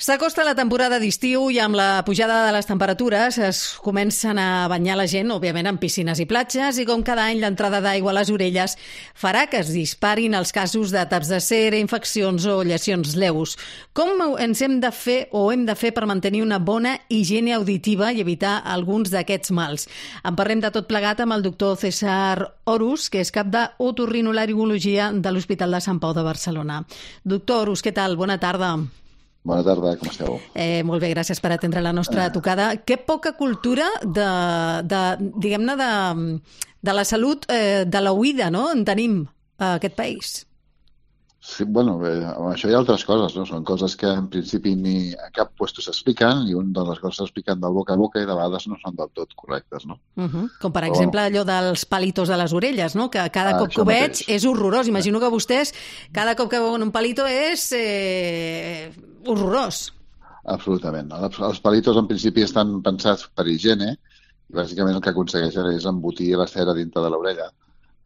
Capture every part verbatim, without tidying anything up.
S'acosta la temporada d'estiu i amb la pujada de les temperatures es comencen a banyar la gent, òbviament, en piscines i platges, i com cada any l'entrada d'aigua a les orelles farà que es disparin els casos de taps de cera, infeccions o llesions lleus. Com ens hem de fer o hem de fer per mantenir una bona higiene auditiva i evitar alguns d'aquests mals? En parlem de tot plegat amb el doctor César Horus, que és cap d'otorrinolaringologia de l'Hospital de Sant Pau de Barcelona. Doctor Horus, què tal? Bona tarda. Bona tarda, com esteu? Eh, molt bé, gràcies per atendre la nostra eh. tocada. Que poca cultura de, de diguem-ne, de, de la salut eh, de l'oïda, no?, en tenim a aquest país. Sí, bueno, eh, això hi ha altres coses, no? Són coses que en principi ni a cap puesto s'expliquen i una de les coses s'expliquen del boca a boca i de vegades no són del tot correctes, no? Uh -huh. Com per Però, exemple allò dels palitos de les orelles, no? Que cada ah, cop que ho veig mateix. És horrorós. Imagino que vostès cada cop que veuen un palito és eh, horrorós. Absolutament. Els, els palitos en principi estan pensats per higiene i bàsicament el que aconsegueixen és embotir la cera dintre de l'orella.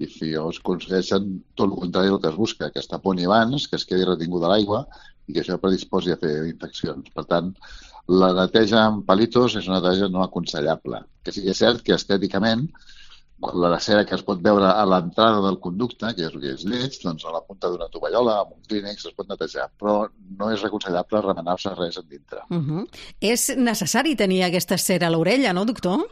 I si es aconsegueixen tot el contrari del que es busca, que es taponi abans, que es quedi retinguda l'aigua i que això predisposi a fer infeccions. Per tant, la neteja amb palitos és una neteja no aconsellable. Que sí que és cert que estèticament la cera que es pot veure a l'entrada del conducte, que és el que és lleig, doncs a la punta d'una tovallola, amb un clínex, es pot netejar, però no és aconsellable remenar-se res en dintre. Uh -huh. És necessari tenir aquesta cera a l'orella, no, doctor?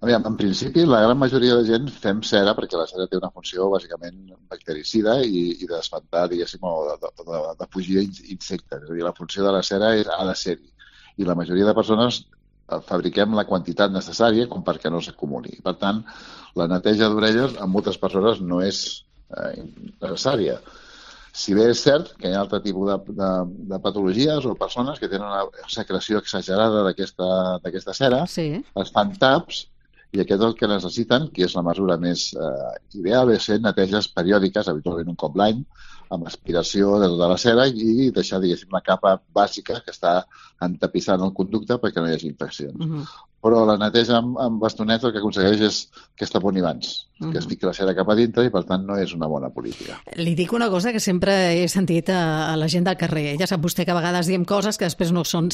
Aviam, en principi, la gran majoria de gent fem cera perquè la cera té una funció bàsicament bactericida i, i d'espantar, diguéssim, o de, de, de fugir insectes. És a dir, la funció de la cera és, ha de ser-hi. I la majoria de persones fabriquem la quantitat necessària com perquè no s'acumuli. Per tant, la neteja d'orelles en moltes persones no és eh, necessària. Si bé és cert que hi ha altre tipus de, de, de patologies o persones que tenen una secreció exagerada d'aquesta cera, sí. Es fan taps, i aquest el que necessiten, que és la mesura més eh, ideal, és fer neteges periòdiques, habitualment un cop l'any, amb aspiració de tota la cera i deixar, diguéssim, la capa bàsica que està entapissant el conducte perquè no hi hagi infeccions. Uh -huh. Però la neteja amb, amb bastonets el que aconsegueix és que es taponi abans, uh -huh. que es fiqui la cera cap a dintre i, per tant, no és una bona política. Li dic una cosa que sempre he sentit a, a la gent del carrer. Ja sap vostè que a vegades diem coses que després no són.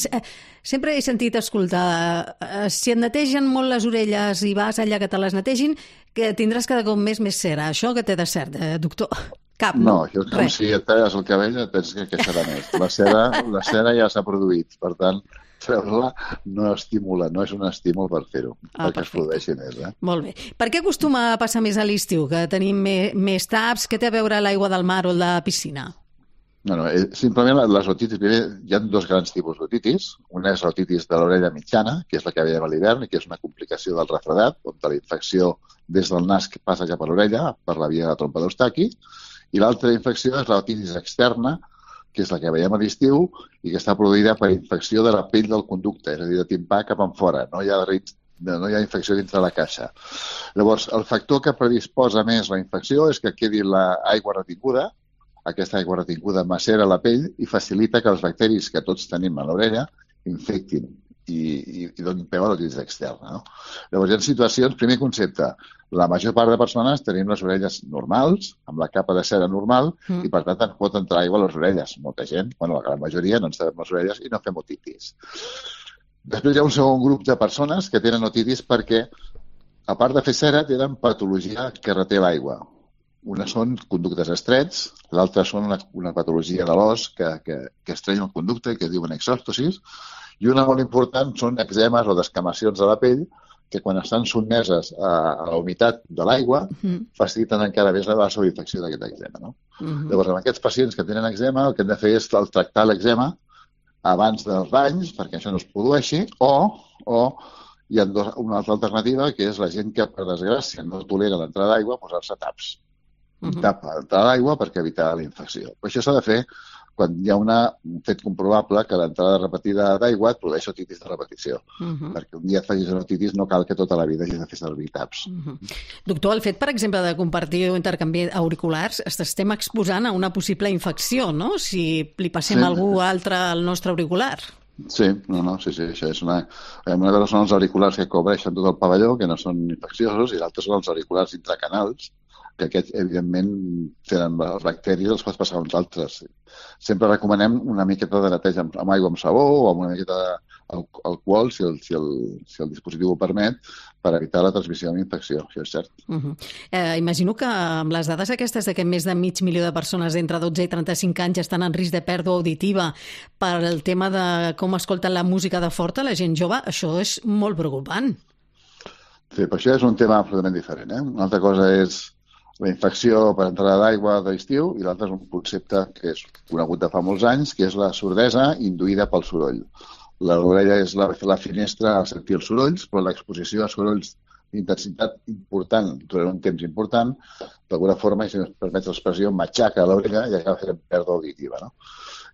Sempre he sentit escoltar, si et netegen molt les orelles i vas allà que te les netegin, que tindràs cada cop més més cera. Això que té de cert, eh, doctor? Cap, no? No, això és com si et talles el cabell et penses que, que serà més. La cera, la cera ja s'ha produït, per tant, treure-la no estimula, no és un estímul per fer-ho, ah, perquè perfecte. Es produeixi més. Eh? Molt bé. Per què acostuma a passar més a l'estiu, que tenim més, més taps? Què té a veure l'aigua del mar o el de la piscina? No, no, simplement les otitis, primer, hi ha dos grans tipus d'otitis. Una és l'otitis de l'orella mitjana, que és la que veiem a l'hivern, que és una complicació del refredat, on la infecció des del nas que passa ja per l'orella, per la via de la trompa d'Eustaqui, i l'altra infecció és l'otitis externa, que és la que veiem a l'estiu i que està produïda per infecció de la pell del conducte, és a dir, de timpà cap enfora, no hi ha, no hi ha infecció dintre la caixa. Llavors, el factor que predisposa més la infecció és que quedi l'aigua retinguda, aquesta aigua retinguda macera la pell i facilita que els bacteris que tots tenim a l'orella infectin i, i, i donin peu a l'otitis externa. No? Llavors, hi ha situacions, primer concepte, la major part de persones tenim les orelles normals, amb la capa de cera normal, mm. i per tant ens pot entrar aigua a les orelles. Molta gent, bueno, la gran majoria, no ens tapem les orelles i no fem otitis. Després hi ha un segon grup de persones que tenen otitis perquè, a part de fer cera, tenen patologia que reté l'aigua. Una són conductes estrets, l'altra són una, una patologia de l'os que, que, que estrenya el conducte, que es diuen exòstosis, i una molt important són eczemes o descamacions de la pell que quan estan sotmeses a, a la humitat de l'aigua uh-huh. faciliten encara més la sobreinfecció d'aquest eczema. No? Uh-huh. Llavors, amb aquests pacients que tenen eczema, el que hem de fer és tractar l'eczema abans dels banys, perquè això no es produeixi, o, o hi ha dos, una altra alternativa, que és la gent que, per desgràcia, no tolera l'entrada d'aigua, posar-se taps. Un uh-huh. tap a l'entrada d'aigua perquè evitar la infecció. Però això s'ha de fer quan hi ha una, un fet comprovable que l'entrada repetida d'aigua et produeix otitis de repetició. Uh-huh. Perquè un dia et facis una otitis no cal que tota la vida hagis de fer servir taps. Uh-huh. Doctor, el fet, per exemple, de compartir o intercanviar auriculars, estem exposant a una possible infecció, no?, si li passem sí. a algú altre al nostre auricular. Sí, no, no, sí, sí, això és una... Una cosa són els auriculars que cobreixen tot el pavelló, que no són infecciosos, i l'altra són els auriculars intracanals, que aquests, evidentment, tenen els bacteris, els pots passar a uns altres. Sempre recomanem una miqueta de neteja amb, amb aigua amb sabó o amb una miqueta d'alcohol, si el, si, el, si el dispositiu ho permet, per evitar la transmissió de la infecció, això és cert. Uh -huh. eh, imagino que amb les dades aquestes de que més de mig milió de persones d'entre dotze i trenta-cinc anys estan en risc de pèrdua auditiva per el tema de com escolten la música de forta, la gent jove, això és molt preocupant. Sí, però això és un tema absolutament diferent. Eh? Una altra cosa és la infecció per entrada d'aigua d'estiu i l'altre és un concepte que és conegut de fa molts anys, que és la sordesa induïda pel soroll. L'orella és la, la finestra a sentir els sorolls, però l'exposició a sorolls d'intensitat important durant un temps important, d'alguna forma, si ens permet l'expressió, matxaca l'orella i acaba fent pèrdua auditiva. No?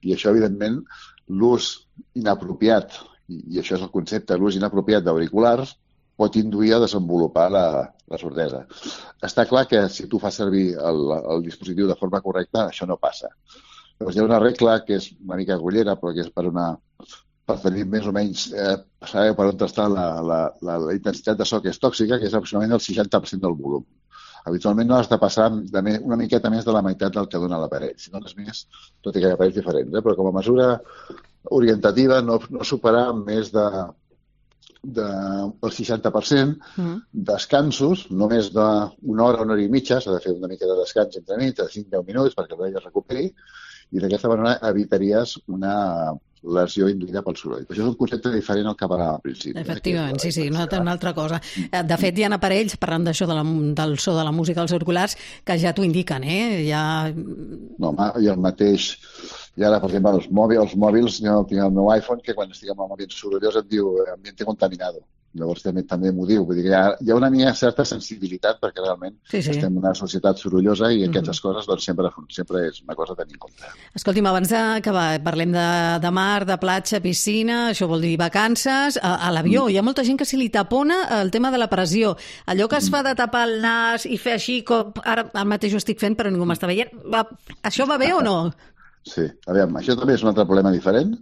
I això, evidentment, l'ús inapropiat, i, i això és el concepte, l'ús inapropiat d'auriculars, pot induir a desenvolupar la, la sordesa. Està clar que si tu fas servir el, el dispositiu de forma correcta, això no passa. Llavors, hi ha una regla que és una mica agullera, però que és per, una, per tenir més o menys eh, saber per on està la, la, la, la intensitat de so que és tòxica, que és aproximadament el seixanta per cent del volum. Habitualment no has de passar de més, una miqueta més de la meitat del que dona l'aparell. Si dones més, tot i que hi ha aparells diferents, eh? Però com a mesura orientativa no, no superar més de del seixanta per cent, mm. descansos, només d'una hora, una hora i mitja, s'ha de fer una mica de descans entre nit, de cinc a deu minuts perquè l'orella es recuperi, i d'aquesta manera evitaries una lesió induïda pel soroll. Això és un concepte diferent al que parlàvem al principi. Efectivament, eh? sí, sí, una, una altra cosa. De fet, hi ha aparells, parlant d'això de la, del so de la música als auriculars, que ja t'ho indiquen, eh? Ja... No, i el mateix... I ara, per exemple, els mòbils, els mòbils, jo tinc el meu iPhone, que quan estic amb el mòbil sorollós em diu ambiente contaminado. Llavors també, també m'ho diu. Vull dir que hi ha, hi ha una mica certa sensibilitat perquè realment sí, sí. estem en una societat sorollosa i mm-hmm. aquestes coses doncs, sempre, sempre és una cosa a tenir en compte. Escolti'm, abans d'acabar, parlem de, de mar, de platja, piscina, això vol dir vacances. A, a l'avió mm. hi ha molta gent que se li tapona el tema de la pressió. Allò que es fa de tapar el nas i fer així, com ara el mateix ho estic fent però ningú m'està veient, va, això va bé o no? Sí, aviam, això també és un altre problema diferent.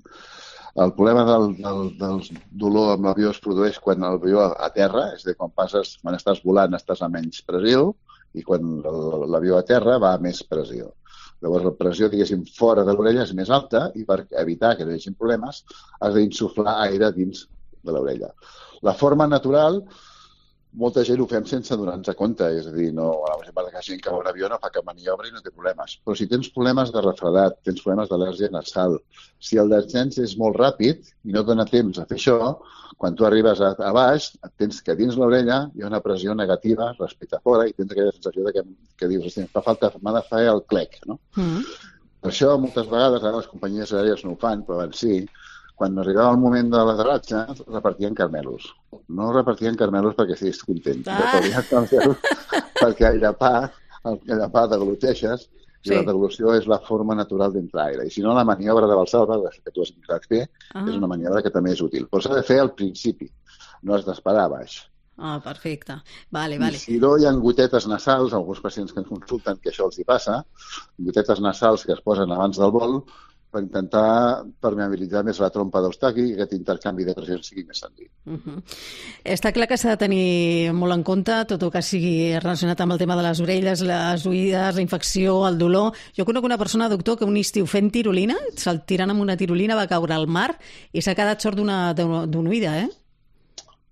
El problema del, del, del dolor amb l'avió es produeix quan l'avió a terra, és a dir, quan passes, quan estàs volant estàs a menys pressió i quan l'avió a terra va a més pressió. Llavors la pressió, diguéssim, fora de l'orella és més alta i per evitar que no hi hagi problemes has d'insuflar aire dins de l'orella. La forma natural, molta gent ho fem sense donar-nos compte, és a dir, no, per exemple, que gent que va a un avió no fa cap maniobra i no té problemes. Però si tens problemes de refredat, tens problemes d'al·lèrgia nasal, si el descens és molt ràpid i no dona temps a fer això, quan tu arribes a, a baix, tens que dins l'orella hi ha una pressió negativa respecte a fora i tens aquella sensació de que, que dius, hosti, fa falta, m'ha de fer el clec, no? Mm. Per això, moltes vegades, ara les companyies aèries no ho fan, però abans sí, quan arribava el moment de l'aterratge, repartien carmelos. No repartien carmelos perquè estiguis content. Ah. Repartien carmelos perquè el llapà, el llapà degluteixes i sí. La deglució és la forma natural d'entrar aire. I si no, la maniobra de Valsalva, que tu has intentat fer, ah. és una maniobra que també és útil. Però s'ha de fer al principi, no has d'esperar a baix. Ah, perfecte. Vale, vale. I si no, hi ha gotetes nasals, alguns pacients que ens consulten que això els hi passa, gotetes nasals que es posen abans del vol, per intentar permeabilitzar més la trompa d'Eustaqui i que aquest intercanvi de pressions sigui més senzill. Uh-huh. Està clar que s'ha de tenir molt en compte tot el que sigui relacionat amb el tema de les orelles, les oïdes, la infecció, el dolor. Jo conec una persona, doctor, que un estiu fent tirolina, se'l tirant amb una tirolina, va caure al mar i s'ha quedat sord d'una, d'una oïda, eh?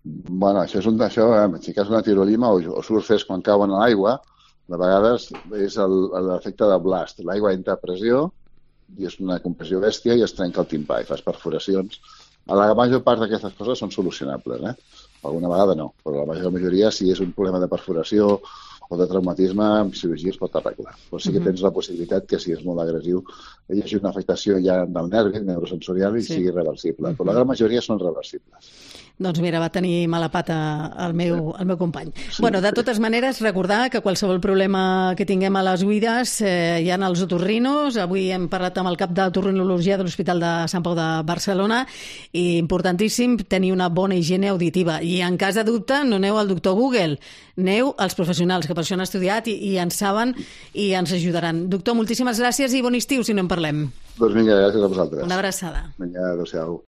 Bueno, això és un d'això, eh? Si cas una tirolina o, o surfes quan cauen a l'aigua, de vegades és l'efecte de blast. L'aigua entra a pressió i és una compressió bèstia i es trenca el timpà i fas perforacions. A la major part d'aquestes coses són solucionables, eh? Alguna vegada no, però la major majoria, si és un problema de perforació o de traumatisme, amb cirurgia es pot arreglar. Però sí que tens la possibilitat que, si és molt agressiu, hi hagi una afectació ja del nervi, neurosensorial, i sí. sigui reversible. Però la gran majoria són reversibles. Doncs mira, va tenir mala pata el meu, el meu company. Sí, bueno, de totes maneres, recordar que qualsevol problema que tinguem a les oïdes eh, hi ha els otorrinos. Avui hem parlat amb el cap d'otorrinologia de l'Hospital de Sant Pau de Barcelona i importantíssim tenir una bona higiene auditiva. I en cas de dubte, no aneu al doctor Google, aneu als professionals que per això han estudiat i, i en saben i ens ajudaran. Doctor, moltíssimes gràcies i bon estiu si no en parlem. Doncs vinga, gràcies a vosaltres. Una abraçada. Vinga, adéu-siau.